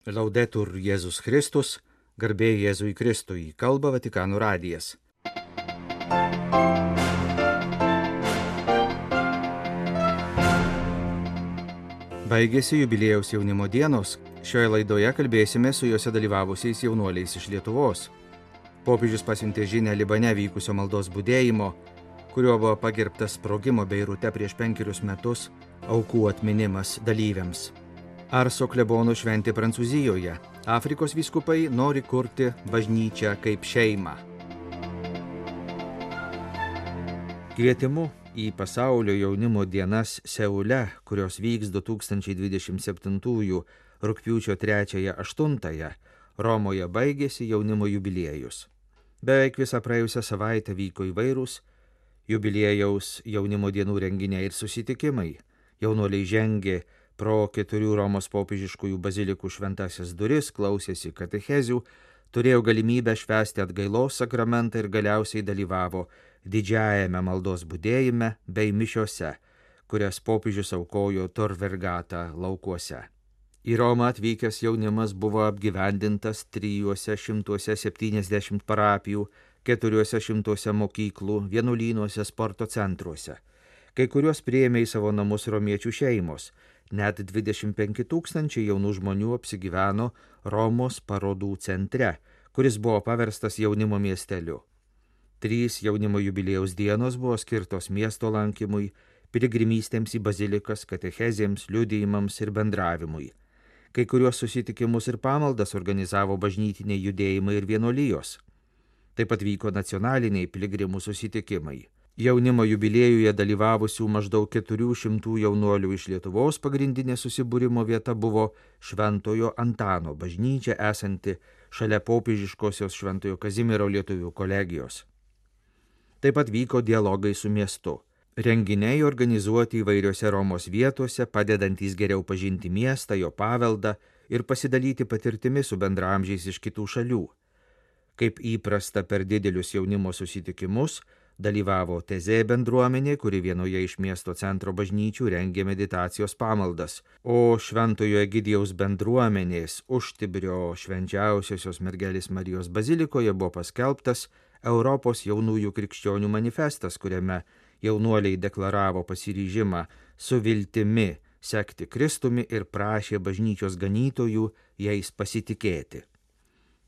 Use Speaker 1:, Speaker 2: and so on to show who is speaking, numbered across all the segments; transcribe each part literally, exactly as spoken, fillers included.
Speaker 1: Laudetur Jėzus Kristus, garbė Jėzui Kristui, kalba Vatikano radijas. Baigėsi jubiliejaus jaunimo dienos. Šioje laidoje kalbėsime su juose dalyvavusiais jaunuoliais iš Lietuvos. Popiežius pasiuntė žinią Libane vykusio maldos budėjimo, kuriuo buvo pagerbtas sprogimo Beirute prieš penkerius metus aukų atminimas dalyviams. Arso klebono šventė Prancūzijoje. Afrikos vyskupai nori kurti bažnyčią kaip šeimą. Kvietimu į pasaulio jaunimo dienas Seule, kurios vyks du tūkstančiai dvidešimt septintųjų rugpjūčio trečiąją aštuntąją, Romoje baigėsi jaunimo jubiliejus. Beveik visą praėjusią savaitę vyko įvairūs jubiliejaus jaunimo dienų renginiai ir susitikimai. Jaunuoliai žengė pro keturių Romos popiežiškųjų bazilikų šventasias duris, klausėsi katechezių, turėjo galimybę švęsti atgailos sakramentą ir galiausiai dalyvavo didžiajame maldos budėjime bei mišiose, kurias popiežius aukojo Tor Vergata laukuose. Į Romą atvykęs jaunimas buvo apgyvendintas trijuose šimtuose septyniasdešimt parapijų, keturiuose šimtuose mokyklų, vienuolynuose, sporto centruose. Kai kuriuos priėmė į savo namus romiečių šeimos. Net dvidešimt penki tūkstančiai jaunų žmonių apsigyveno Romos parodų centre, kuris buvo paverstas jaunimo miesteliu. Trys jaunimo jubiliejaus dienos buvo skirtos miesto lankymui, piligrimystėms į bazilikas, katechezėms, liudijimams ir bendravimui. Kai kuriuos susitikimus ir pamaldas organizavo bažnytiniai judėjimai ir vienuolijos. Taip pat vyko nacionaliniai piligrimų susitikimai. Jaunimo jubiliejuje dalyvavusių maždaug keturių šimtų jaunuolių iš Lietuvos pagrindinė susibūrimo vieta buvo Šventojo Antano bažnyčia esanti šalia popiežiškosios Šventojo Kazimiero lietuvių kolegijos. Taip pat vyko dialogai su miestu. Renginiai organizuoti įvairiose Romos vietose, padedantys geriau pažinti miestą, jo paveldą ir pasidalyti patirtimi su bendraamžiais iš kitų šalių. Kaip įprasta per didelius jaunimo susitikimus, dalyvavo Tezė bendruomenė, kuri vienoje iš miesto centro bažnyčių rengė meditacijos pamaldas, o Šventojo Egidijaus bendruomenės Užtibrio švenčiausiosios mergelės Marijos bazilikoje buvo paskelbtas Europos jaunųjų krikščionių manifestas, kuriame jaunuoliai deklaravo pasiryžimą su viltimi sekti Kristumi ir prašė bažnyčios ganytojų jais pasitikėti.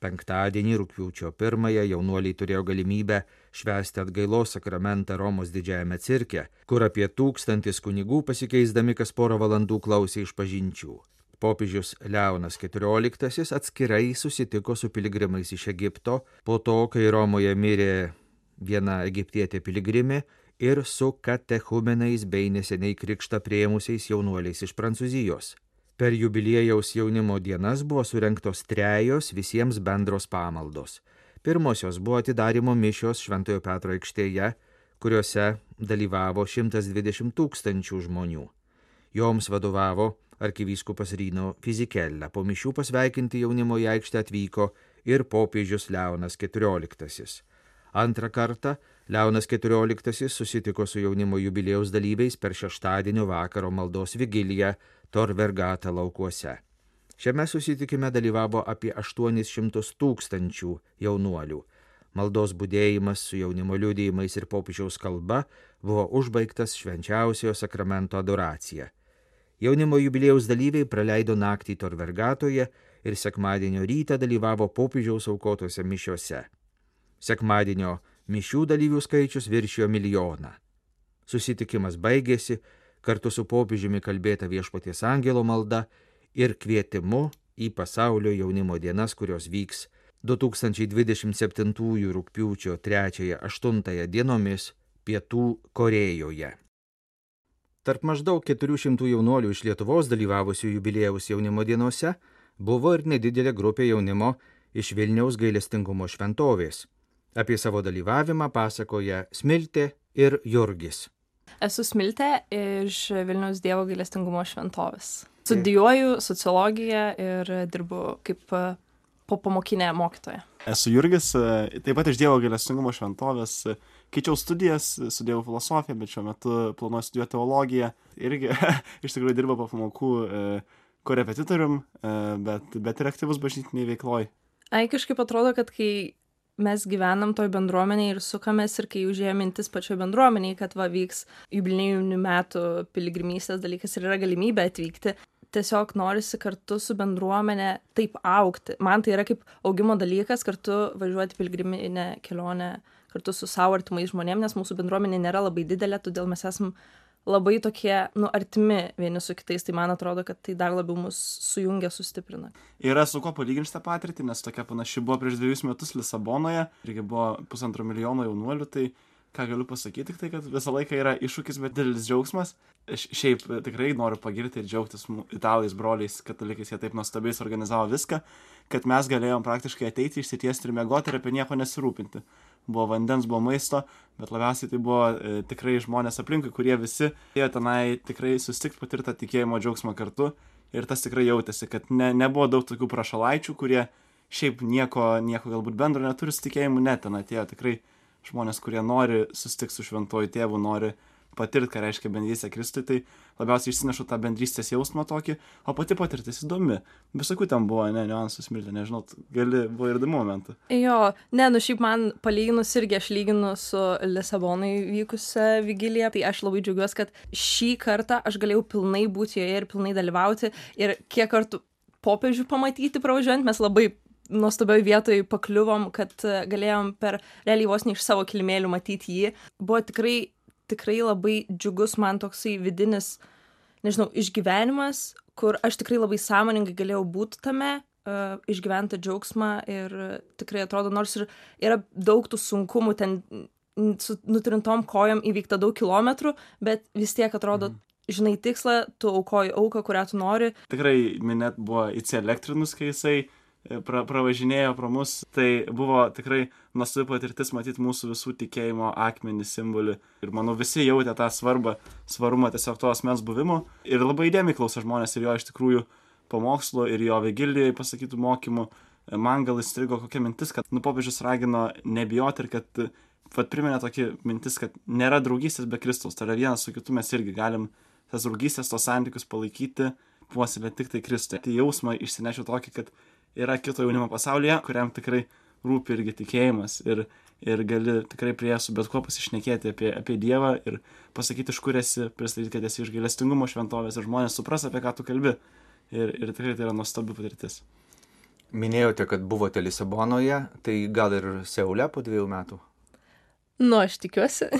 Speaker 1: Penktadienį rugpjūčio pirmąją jaunuoliai turėjo galimybę švęsti atgailos sakramentą Romos didžiajame cirke, kur apie tūkstantis kunigų pasikeisdami kas porą valandų klausė išpažinčių. Popiežius Leonas keturioliktasis atskirai susitiko su piligrimais iš Egipto, po to, kai Romoje mirė viena egiptietė piligrimė, ir su katechumenais bei neseniai krikštą priėmusiais jaunuoliais iš Prancūzijos. Per jubiliejaus jaunimo dienas buvo surengtos trejos visiems bendros pamaldos. Pirmosios buvo atidarymo mišios Šventojo Petro aikštėje, kuriuose dalyvavo šimtas dvidešimt tūkstančių žmonių. Joms vadovavo arkivyskupas Rino Fizikella. Po mišių pasveikinti jaunimo į aikštę atvyko ir popiežius Leonas keturioliktasis. Antrą kartą Leonas keturioliktasis susitiko su jaunimo jubiliejaus dalyviais per šeštadienio vakaro maldos vigiliją Tor Vergata laukuose. Šiame susitikime dalyvavo apie aštuonis šimtus tūkstančių jaunuolių. Maldos budėjimas su jaunimo liudijimais ir popiežiaus kalba buvo užbaigtas švenčiausiojo sakramento adoracija. Jaunimo jubiliejaus dalyviai praleido naktį Tor Vergatoje ir sekmadienio rytą dalyvavo popiežiaus aukotose mišiose. Sekmadienio mišių dalyvių skaičius viršijo milijoną. Susitikimas baigėsi kartu su popiežiumi kalbėta Viešpaties angelo malda ir kvietimu į pasaulio jaunimo dienas, kurios vyks du tūkstančiai dvidešimt septintųjų rugpjūčio trečiąją aštuntąją dienomis Pietų Korėjoje. Tarp maždaug keturių šimtų jaunuolių iš Lietuvos dalyvavusių jubiliejaus jaunimo dienose buvo ir nedidelė grupė jaunimo iš Vilniaus gailestingumo šventovės. Apie savo dalyvavimą pasakoja Smiltė ir Jurgis.
Speaker 2: Esu Smiltė iš Vilniaus Dievo gailestingumo šventovės. Studijuoju sociologiją ir dirbu kaip popamokinė mokytoja.
Speaker 3: Esu Jurgis, taip pat iš Dievo gailestingumo šventovės. Keičiau studijas, studijavau filosofiją, bet šiuo metu planuoju studijuoti teologiją. Irgi iš tikrųjų dirba po pamokų korepetitorium, bet, bet ir aktyvus bažnytiniai veikloj.
Speaker 2: Ai, kažkaip atrodo, kad kai mes gyvenam toj bendruomenėje ir sukamės ir kai užėjo mintis pačioj bendruomenėje, kad va vyks jubiliejinių metų piligrimystės dalykas ir yra galimybė atvykti, tiesiog norisi kartu su bendruomenė taip augti. Man tai yra kaip augimo dalykas kartu važiuoti piligriminę kelionę kartu su savo artimais žmonėm, nes mūsų bendruomenė nėra labai didelė, todėl mes esam labai tokie, nu, artimi vieni su kitais, tai man atrodo, kad tai dar labiau mus sujungia, sustiprina.
Speaker 3: Yra su kuo palyginti tą patirtį, nes tokia panaši buvo prieš dviejus metus Lisabonoje, irgi buvo pusantro milijono jaunuolių, tai ką galiu pasakyti, tik tai, kad visą laiką yra iššūkis, bet didelis džiaugsmas. Šiaip tikrai noriu pagirti ir džiaugtis italais, broliais, katalikais, jie taip nuostabiai suorganizavo viską, kad mes galėjom praktiškai ateiti, išsitiesti ir miegoti ir apie nieko nesirūpinti. Buvo vandens, buvo maisto, bet labiausiai tai buvo e, tikrai žmonės aplinkui, kurie visi ėjo tenai tikrai susitikti, patirtą tikėjimo džiaugsmą kartu ir tas tikrai jautėsi, kad ne, nebuvo daug tokių prašalaičių, kurie šiaip nieko, nieko galbūt bendro neturi su tikėjimu, net ten atėjo tikrai žmonės, kurie nori susitikti su šventuoju tėvu, nori patirti, ką reiškia bendrystė Kristui, tai labiausiai išsinešu tą bendrystės jausmą tokį, o pati patirtis įdomi. Visokių ten buvo, ne, niuansų Smilte, nežinau, gali, buvo ir įdomių momentų.
Speaker 2: Jo, ne, nu šiaip man palyginus irgi aš lyginu su Lisabonai vykusią vigiliją, tai aš labai džiaugiuosi, kad šį kartą aš galėjau pilnai būti joje ir pilnai dalyvauti ir kiek kartų popiežių pamatyti pravažiuojant, mes labai nuostabioj vietoj pakliuvom, kad galėjom per realiai vos ne iš savo kilimėlių matyti jį. Buvo tikrai tikrai labai džiugus man toksai vidinis, nežinau, išgyvenimas, kur aš tikrai labai sąmoningai galėjau būti tame, uh, išgyventi džiaugsmą ir tikrai atrodo, nors ir yra daug tų sunkumų, ten su nutrintom kojom įvykta daug kilometrų, bet vis tiek atrodo, mm. žinai tikslą, tu aukoji auką, kurią tu nori.
Speaker 3: Tikrai minėt buvo įsielektrinus, kai jisai pra, pravažinėjo pro mus, tai buvo tikrai nuostabi patirtis matyti mūsų visų tikėjimo akmenį, simbolį. Ir manau, visi jautė tą svarbą, svarumą tiesiog to asmens buvimo. Ir labai įdėmiai klausė žmonės ir jo iš tikrųjų pamokslo, ir jo vigilijai pasakytų mokymų. Man gal įstrigo kokia mintis, kad nu, popiežius ragino nebijoti ir kad vat, priminė tokį mintis, kad nėra draugystės be Kristaus. Tai yra vienas su kitu mes irgi galim tas draugystės, tos santykius palaikyti, puoselėti tik tai Kristui. Tai jausmą išsinešiu tokį, kad yra kito jaunimo pasaulyje, kuriam tikrai rūpi irgi tikėjimas ir, ir gali tikrai prie su bet kuo pasišnekėti apie, apie Dievą ir pasakyti, iš kur esi, pristatyti, kad esi iš gailestingumo šventovės ir žmonės supras, apie ką tu kalbi. Ir, ir tikrai tai yra nuostabi patirtis.
Speaker 1: Minėjote, kad buvote Lisabonoje, tai gal ir Seule po dviejų metų?
Speaker 2: Nu, aš tikiuosi.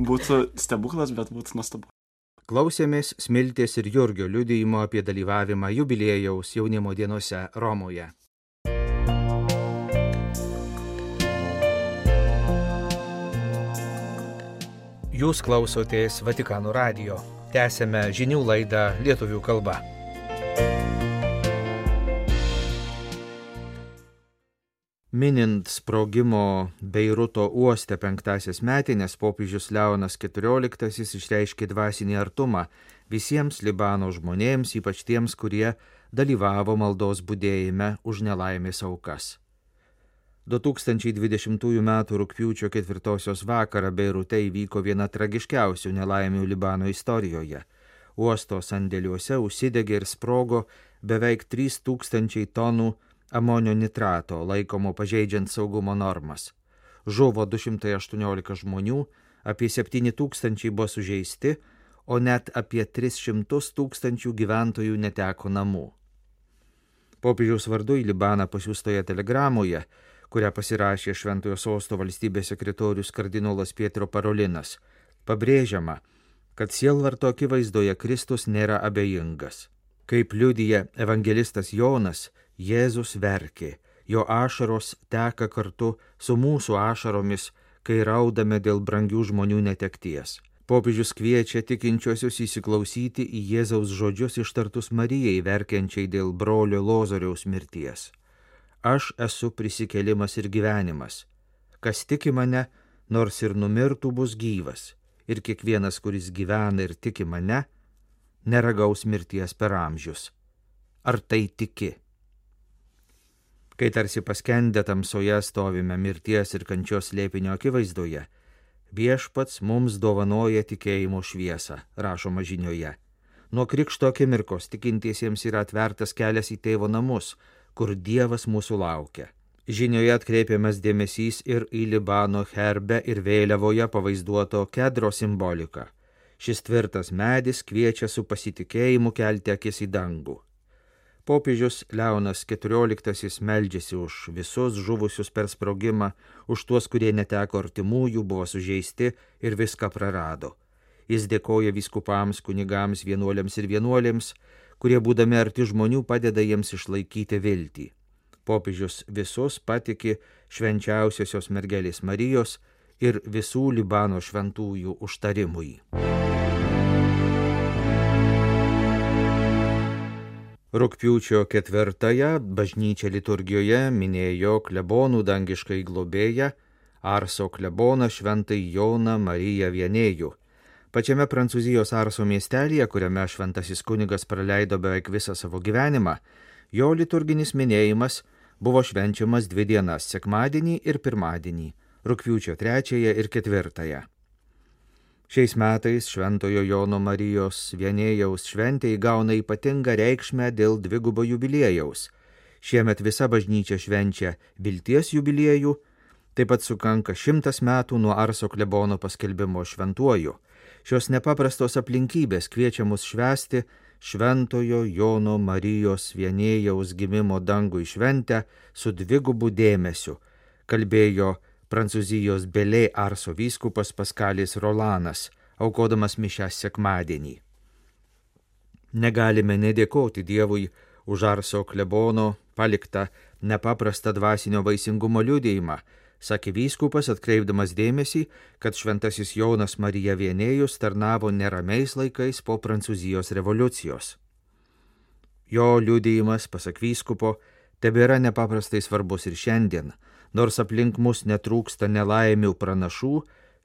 Speaker 3: Būtų stebuklas, bet būtų nuostabu.
Speaker 1: Klausėmės Smiltės ir Jurgio liudijimo apie dalyvavimą jubiliejaus jaunimo dienose Romoje. Jūs klausotės Vatikano radijo. Tęsėme žinių laidą lietuvių kalba. Minint sprogimo Beiruto uoste penktasias metines, popiežius Leonas keturioliktasis išreiškė dvasinį artumą visiems Libano žmonėms, ypač tiems, kurie dalyvavo maldos budėjime už nelaimės aukas. du tūkstančiai dvidešimtųjų metų rugpjūčio ketvirtosios vakarą Beirute įvyko viena tragiškiausių nelaimių Libano istorijoje. Uosto sandėliuose užsidegė ir sprogo beveik trys tūkstančiai tonų amonio nitrato, laikomo pažeidžiant saugumo normas. Žuvo du šimtai aštuoniolika žmonių, apie septyni tūkstančiai buvo sužeisti, o net apie tris šimtus tūkstančių gyventojų neteko namų. Popiežiaus vardu į Libaną pasiųstoje telegramoje, kurią pasirašė Šventojo Sosto valstybės sekretorius kardinolas Pietro Parolinas, pabrėžiama, kad sielvarto akivaizdoje Kristus nėra abejingas. Kaip liudija evangelistas Jonas, Jėzus verkė, jo ašaros teka kartu su mūsų ašaromis, kai raudame dėl brangių žmonių netekties. Popiežius kviečia tikinčiuosius įsiklausyti į Jėzaus žodžius ištartus Marijai verkiančiai dėl brolio Lozoriaus mirties. Aš esu prisikėlimas ir gyvenimas. Kas tiki mane, nors ir numirtų, bus gyvas. Ir kiekvienas, kuris gyvena ir tiki mane, neragaus mirties per amžius. Ar tai tiki? Kai tarsi paskendę tamsoje stovime mirties ir kančios slėpinio akivaizdoje, viešpats mums dovanoja tikėjimo šviesą, rašoma žinioje. Nuo krikšto akimirkos tikintiesiems yra atvertas kelias į tėvo namus, kur Dievas mūsų laukia. Žinioje atkreipiamas dėmesys ir į Libano herbe ir vėliavoje pavaizduoto kedro simboliką. Šis tvirtas medis kviečia su pasitikėjimu kelti akis į dangų. Popiežius Leonas keturioliktasis meldžiasi už visus žuvusius per sprogimą, už tuos, kurie neteko artimųjų, buvo sužeisti ir viską prarado. Jis dėkoja vyskupams, kunigams, vienuoliams ir vienuolėms, kurie būdami arti žmonių padeda jiems išlaikyti viltį. Popiežius visus patiki švenčiausiosios mergelės Marijos ir visų Libano šventųjų užtarimui. Rugpjūčio ketvirtąją bažnyčia liturgijoje minėjo klebonų dangiškai globėją Arso kleboną šventai Joną Mariją Vienėjų. Pačiame Prancūzijos Arso miestelyje, kuriame šventasis kunigas praleido beveik visą savo gyvenimą, jo liturginis minėjimas buvo švenčiamas dvi dienas – sekmadienį ir pirmadienį, rugpjūčio trečiąją ir ketvirtąją. Šiais metais Šventojo Jono Marijos Vienėjaus šventė įgauna ypatingą reikšmę dėl dvigubo jubiliejaus. Šiemet visa bažnyčia švenčia vilties jubiliejų, taip pat sukanka šimtas metų nuo Arso klebono paskelbimo šventuoju. Šios nepaprastos aplinkybės kviečia mus švęsti Šventojo Jono Marijos Vienėjaus gimimo dangui šventę su dvigubu dėmesiu, kalbėjo Prancūzijos Belė Arso vyskupas Paskalis Rolanas, aukodamas mišias sekmadienį. Negalime nedėkoti Dievui už Arso klebono paliktą nepaprastą dvasinio vaisingumo liudijimą, sakė vyskupas, atkreipdamas dėmesį, kad šventasis Jonas Marija Vienėjus tarnavo neramiais laikais po Prancūzijos revoliucijos. Jo liudijimas, pasak vyskupo, tebėra nepaprastai svarbus ir šiandien, nors aplink mus netrūksta nelaimių pranašų,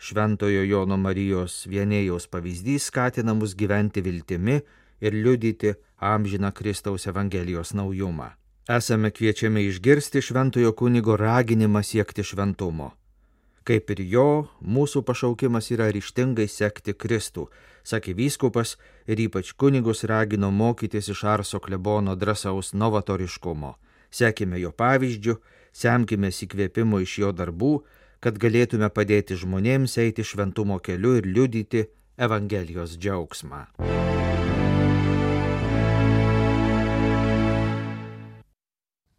Speaker 1: Šventojo Jono Marijos Vienėjaus pavyzdys skatina mus gyventi viltimi ir liudyti amžiną Kristaus Evangelijos naujumą. Esame kviečiami išgirsti šventojo kunigo raginimą siekti šventumo. Kaip ir jo, mūsų pašaukimas yra ryžtingai sekti Kristų, sakė vyskupas ir ypač kunigus ragino mokytis iš Arso klebono drąsaus novatoriškumo. Sekime jo pavyzdžiu, semkimės įkvėpimo iš jo darbų, kad galėtume padėti žmonėms eiti šventumo keliu ir liudyti Evangelijos džiaugsmą.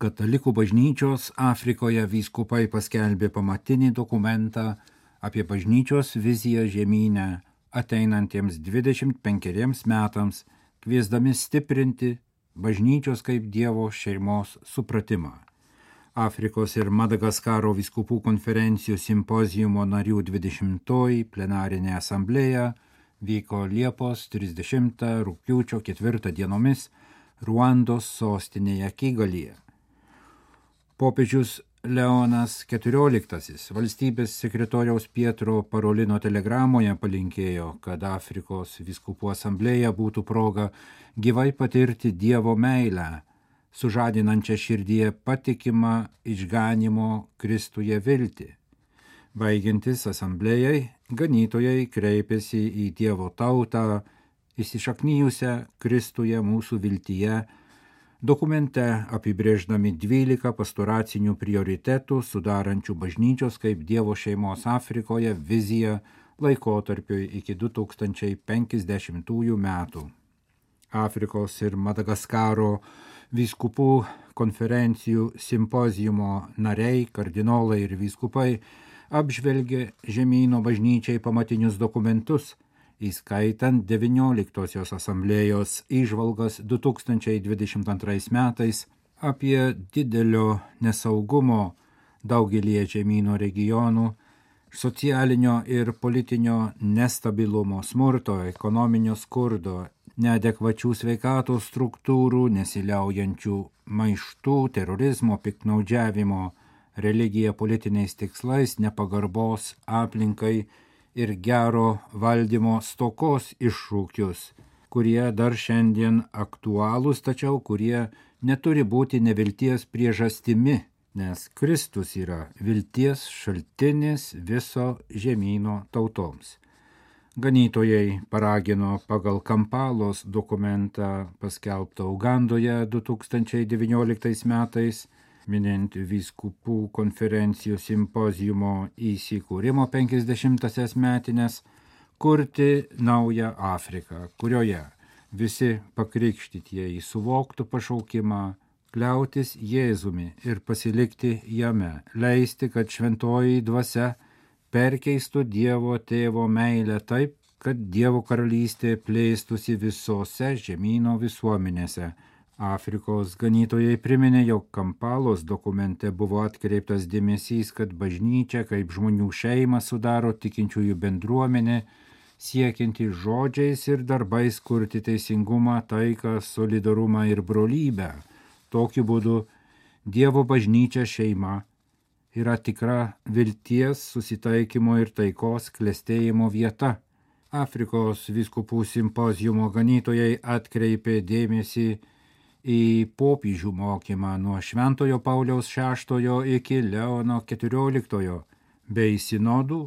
Speaker 4: Katalikų bažnyčios Afrikoje vyskupai paskelbė pamatinį dokumentą apie bažnyčios viziją žemyne ateinantiems dvidešimt penkeriems metams, kviesdami stiprinti bažnyčios kaip Dievo šeimos supratimą. Afrikos ir Madagaskaro vyskupų konferencijų simpozijumo narių dvidešimtoji plenarinė asamblėja vyko Liepos trisdešimtą rugpjūčio ketvirtą dienomis Ruandos sostinėje Kigalyje. Popiežius Leonas keturioliktasis valstybės sekretoriaus Pietro Parolino telegramoje palinkėjo, kad Afrikos vyskupų asamblėja būtų proga gyvai patirti Dievo meilę, sužadinančią širdyje patikimą išganimo Kristuje viltį. Baigiantis asamblėjai, ganytojai kreipėsi į Dievo tautą, įsišaknyjusią Kristuje mūsų viltyje, dokumente apibrėždami dvylika pastoracinių prioritetų sudarančių bažnyčios kaip Dievo šeimos Afrikoje viziją laikotarpiui iki du tūkstančiai penkiasdešimtųjų metų. Afrikos ir Madagaskaro vyskupų konferencijų simpozijumo nariai, kardinolai ir vyskupai apžvelgė žemyno bažnyčiai pamatinius dokumentus, įskaitant devynioliktosios asamblėjos įžvalgas du tūkstančiai dvidešimt antrais metais apie didelio nesaugumo daugelį žemyno regionų, socialinio ir politinio nestabilumo, smurto, ekonominio skurdo, neadekvačių sveikatos struktūrų, nesiliaujančių maištų, terorizmo, piktnaudžiavimo, religija politiniais tikslais, nepagarbos aplinkai ir gero valdymo stokos iššūkius, kurie dar šiandien aktualūs, tačiau kurie neturi būti nevilties priežastimi, nes Kristus yra vilties šaltinis viso žemyno tautoms. Ganytojai paragino pagal Kampalos dokumentą paskelbtą Ugandoje du tūkstančiai devynioliktais metais, minint vyskupų konferencijų simpoziumo įsikūrimo penkiasdešimtąsias metines, kurti naują Afriką, kurioje visi pakrikštytieji suvoktų pašaukimą kliautis Jėzumi ir pasilikti jame, leisti, kad šventoji dvasia perkeistų Dievo tėvo meilę taip, kad Dievo karalystė plėstųsi visose žemyno visuomenėse. Afrikos ganytojai priminė, jog Kampalos dokumente buvo atkreiptas dėmesys, kad bažnyčia kaip žmonių šeimą sudaro tikinčiųjų bendruomenė, siekianti žodžiais ir darbais kurti teisingumą, taiką, solidarumą ir brolybę. Tokiu būdu Dievo bažnyčia šeima yra tikra vilties, susitaikymo ir taikos klestėjimo vieta. Afrikos vyskupų simpoziumo ganytojai atkreipė dėmesį į popiežių mokymą nuo Šventojo Pauliaus šeštojo iki Leono keturioliktojo, bei sinodų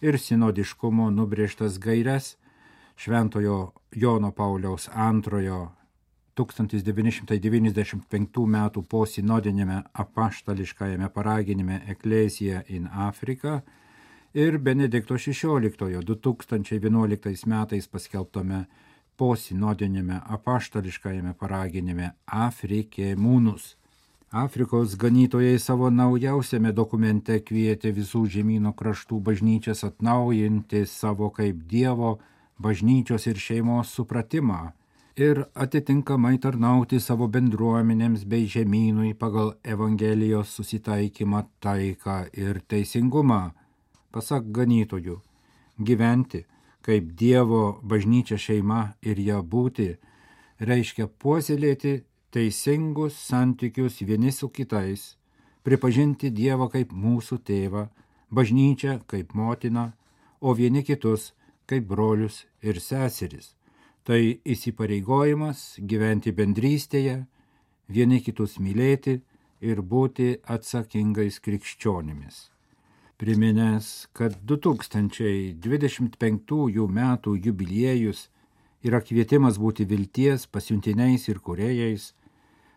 Speaker 4: ir sinodiškumo nubrėžtas gaires Šventojo Jono Pauliaus antrojo tūkstantis devyni šimtai devyniasdešimt penktų metų posinodiniame apaštališkajame paraginime Ecclesia in Africa ir Benedikto šešioliktojo du tūkstančiai vienuoliktais metais paskelbtame posinodiniame apaštališkajame paraginime Africae Munus. Afrikos ganytojai savo naujausiame dokumente kvietė visų žemyno kraštų bažnyčias atnaujinti savo kaip Dievo bažnyčios ir šeimos supratimą ir atitinkamai tarnauti savo bendruomenėms bei žemynui pagal Evangelijos susitaikymą, taiką ir teisingumą. Pasak ganytojų, gyventi kaip Dievo bažnyčia šeima ir ją būti reiškia puoselėti teisingus santykius vieni su kitais, pripažinti Dievą kaip mūsų tėvą, bažnyčią kaip motiną, o vieni kitus kaip brolius ir seseris. Tai įsipareigojimas gyventi bendrystėje, vieni kitus mylėti ir būti atsakingais krikščionimis. Priminęs, kad du tūkstančiai dvidešimt penktųjų metų jubiliejus yra kvietimas būti vilties pasiuntiniais ir kūrėjais,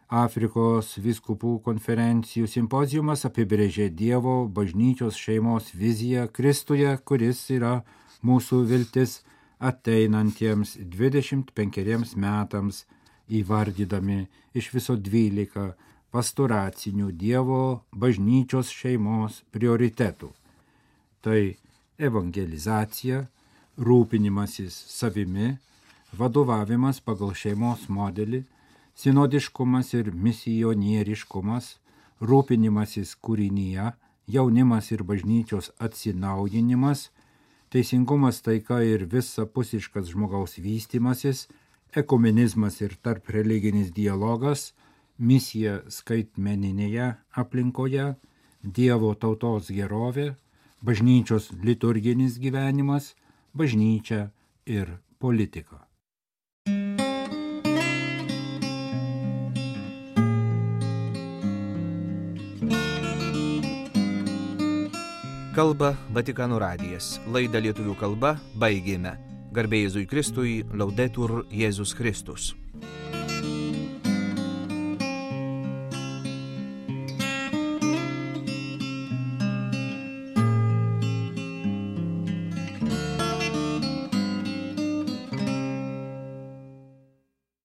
Speaker 4: Afrikos vyskupų konferencijų simpoziumas apibrėžė Dievo bažnyčios šeimos viziją Kristuje, kuris yra mūsų viltis ateinantiems dvidešimt penkeriems metams, įvardydami iš viso dvylika pastoracinių Dievo bažnyčios šeimos prioritetų. Tai evangelizacija, rūpinimasis savimi, vadovavimas pagal šeimos modelį, sinodiškumas ir misionieriškumas, rūpinimasis kūrinyje, jaunimas ir bažnyčios atsinaujinimas, teisingumas, taika ir visapusiškas žmogaus vystymasis, ekumenizmas ir tarp religinis dialogas, misija skaitmeninėje aplinkoje, Dievo tautos gerovė, bažnyčios liturginis gyvenimas, bažnyčia ir politika.
Speaker 1: Kalba Vatikano radijas. Laidą lietuvių kalba baigėme. Garbė Jėzui Kristui, Laudetur Jėzus Kristus.